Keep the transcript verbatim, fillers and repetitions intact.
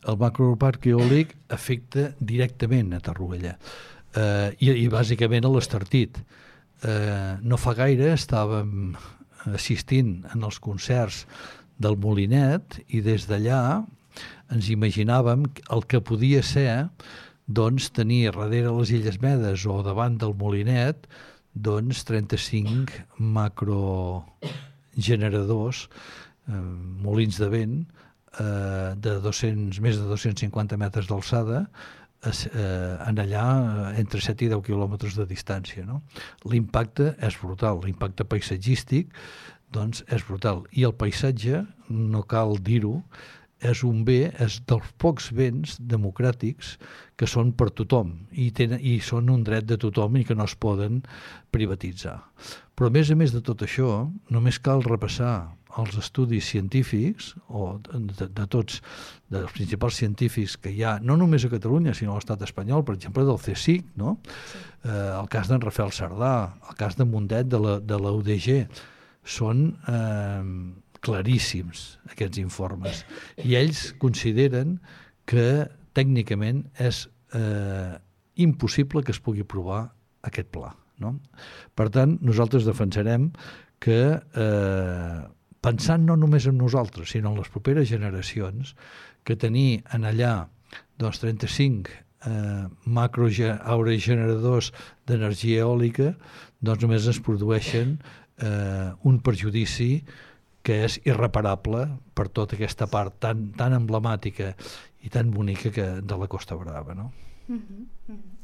El macroparc eòlic afecta directament a Torroella eh, i, i bàsicament a l'Estartit. Eh, no fa gaire estàvem assistint en els concerts del Molinet i des d'allà ens imaginàvem el que podia ser doncs, tenir darrere les Illes Medes o davant del Molinet doncs, trenta-cinc macrogeneradors, eh, molins de vent, eh, de dos-cents, més de dos-cents cinquanta metres d'alçada, eh, en allà entre set i deu quilòmetres de distància. No? L'impacte és brutal, l'impacte paisatgístic doncs, és brutal. I el paisatge, no cal dir-ho, és un bé, és dels pocs béns democràtics que són per tothom i, tenen, i són un dret de tothom i que no es poden privatitzar. Però a més a més de tot això, només cal repassar els estudis científics o de, de tots, dels principals científics que hi ha, no només a Catalunya, sinó a l'estat espanyol, per exemple, del CSIC, no? Sí. Eh, el cas d'en Rafael Cerdà, el cas de Mundet de la, de la U D G, són eh, claríssims aquests informes i ells consideren que tècnicament és eh, impossible que es pugui provar aquest pla, no? Per tant, nosaltres defensarem que eh, pensant no només en nosaltres sinó en les properes generacions, que tenir en allà doncs, trenta-cinc eh, macroaerogeneradors d'energia eòlica doncs només es produeixen eh, un perjudici que és irreparable per tota aquesta part tan, tan emblemàtica i tan bonica que, de la Costa Brava, no? Mm-hmm. Mm-hmm.